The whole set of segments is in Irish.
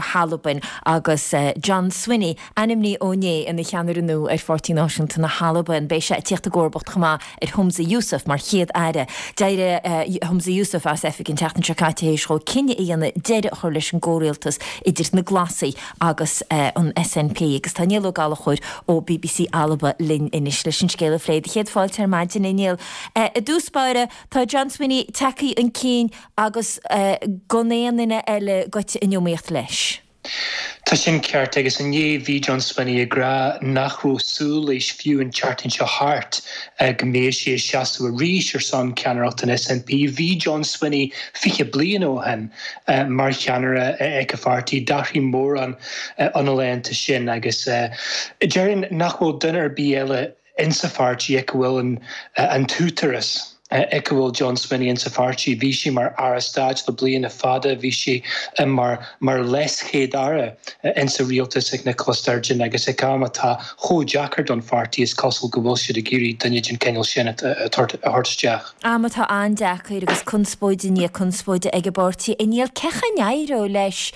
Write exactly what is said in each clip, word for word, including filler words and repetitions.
hAlbain agus John Swinney ainmnithe inné ina cheannaire nua ar Pháirtí Náisiúnta na hAlban. Beidh sé ag tíocht i gcomharbacht chomh maith ar Humza Yousaf mar chéad aire. D'éirigh Humza Yousaf as oifig an tseachtain seo caite théis dó cinneadh a dhéanamh deireadh a chur leis an gcomhrialtas idir na Glasaigh agus an SNP agus tá Niall Ó Gallchóir ó BBC Alba linn anois leis an scéal a phlé. Do chéad fáilte ar maidin a Niall. I dtús báire tá John Swinney tagtha chun cinn agus gan aon duine eile goite in iomaíocht leis. Tá sin ceart agus inné bhí John Swinney ag rá nach raibh súil leis fiú an tseachtain seo thart go mbeidh sé ag seasamh arís ar son ceannaireacht an SNP. Bhí John Swinney fiche bliain ó shin mar cheannaire ag an pháirtí d'athraigh mórán na laethanta sin agus déarfainn nach bhfuil duine ar bith eile insa pháirtí ag bhfuil an, an t-údarás. ag a bhfuil John Swinney insa pháirtí, bhí sé mar aire stáit le blianta fada, bhí sé mar mar leaschéad-aire insa rialtas ag Nicola Sturgeon agus ag am atá chomh deacair don pháirtí is cosúil go bhfuil siad ag iarraidh duine den cineál sin a thabhairt isteach. Am atá an-deacair agus conspóid i ndiaidh conspóide ag an bpáirtí. A Niall cén chaoi a n-éireoidh leis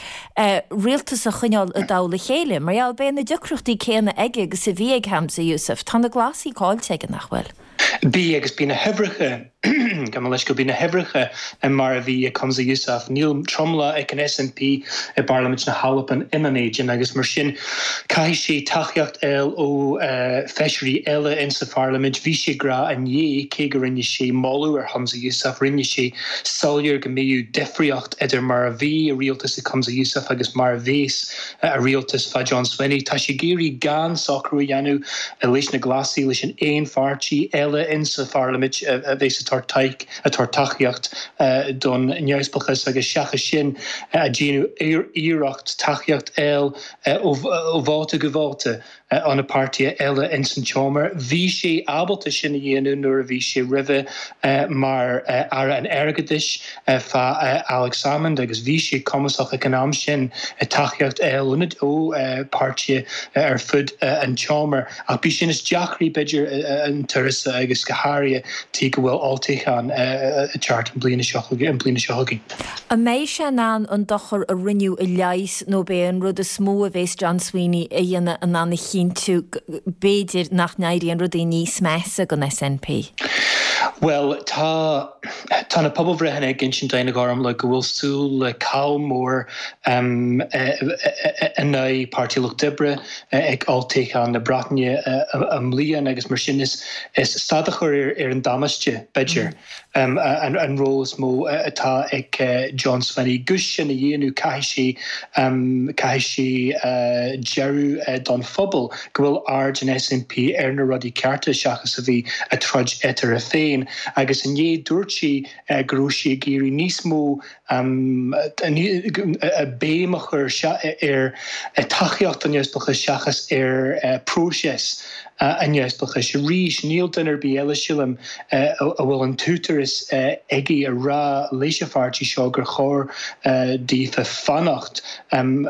rialtas a choinneáil i dtoll a chéile, mar gheall beidh na deacrachtaí céanna aige agus a bhí ag Humza Yousaf. Tá na Glasaigh caillte aige nach bhfuil. Bhí agus bhí na huimhreacha go leis go bhí na huimhreacha mar a bhí ag Humza Yousaf. Níl tromlach ag an SNP i bParlaimint na hAlban ina éadan agus mar sin caithfidh sé tacaíocht a fháil ó feisirí eile insa Pharlaimint. Bhí sé ag rá inné cé go rinne sé moladh ar Humza Yousaf, rinne sé soiléir go mbeidh difríocht idir mar a bhí a rialtas ag Humza Yousaf agus mar a bheas a rialtas fá John Swinney. Tá sé ag iarraidh gan socrú a dhéanamh leis na Glasaigh leis an aon pháirtí eile insa Pharlaimint a bheas ag tabhairt tabhairt tacaíocht don neamhspleáchas agus seachas sin a déanamh iarracht tacaíocht a fháil ó vóta go vóta ó na páirtithe eile insan tseomra. Bhí sé ábalta sin a dhéanamh nuair a bhí sé roimhe mar aire an airgeadais fá Alex Salmond agus bhí sé cumasach ag an am sin tacaíocht a fháil ó páirtithe ar fud an tseomra ach bhí sin is deacraí b'fhéidir an turas agus go háirithe tí go bhfuil olltoghchán ag teacht an bliana seo an bliana seo chugainn. An mbeidh sé in ann an dochar a rinneadh a leigheas nó b'é an rud is mó a bheas John Swinney a dhéanamh in ann a chinntiú b'fhéidir nach n-éiríonn rudaí níos measa don SNP. Well tá tá na pobalbhreitheanna ag insint dúinn le go bhfuil súil le caill mór um, in aghaidh Páirtí Lucht Oibre ag olltoghchán na Breataine i mbliana agus mar sin is is stad a chur ar, ar an damáiste b'fhéidir. Mm. Um, an, an ról is mó atá ag uh, John Swinney. Gus sin a dhéanamh caithfidh sé um, caithfidh sé uh, deireadh uh, don phobal go bhfuil aird an SNP ar na rudaí cearta seachas a bhí ag troid eatarthu féin agus inné dúirt sé uh, go raibh sé ag iarraidh níos mó um, béim a chur ar tacaíocht an neamhspleáchais seachas ar uh, próiseas uh, an neamhspleáchais. Arís níl duine ar bith eile sílim a bhfuil an t-údarás aige a rá leis an pháirtí seo gur chóir daofa fanacht um,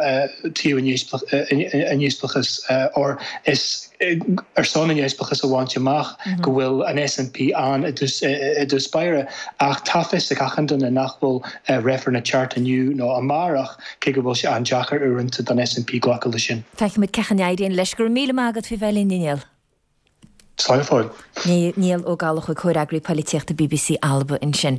taobh an neamhspleáchais or is ar son an neamhspleáchas a bhaint amach mhm. go bhfuil an SNP an i dtús báire ach tá fhios ag achan duine nach bhfuil reifreann ag teacht inniu nó amárach cé go bhfuil sé an-deacair uaireanta don SNP glacadh leis sin. Feicfimid cén chaoi a n-éiríonn leis go raibh míle maith agat faoi bheith linn Niall. Slán Niall Ó Gallchóir comhfhreagraí polaitíochta BBC Alba ansin.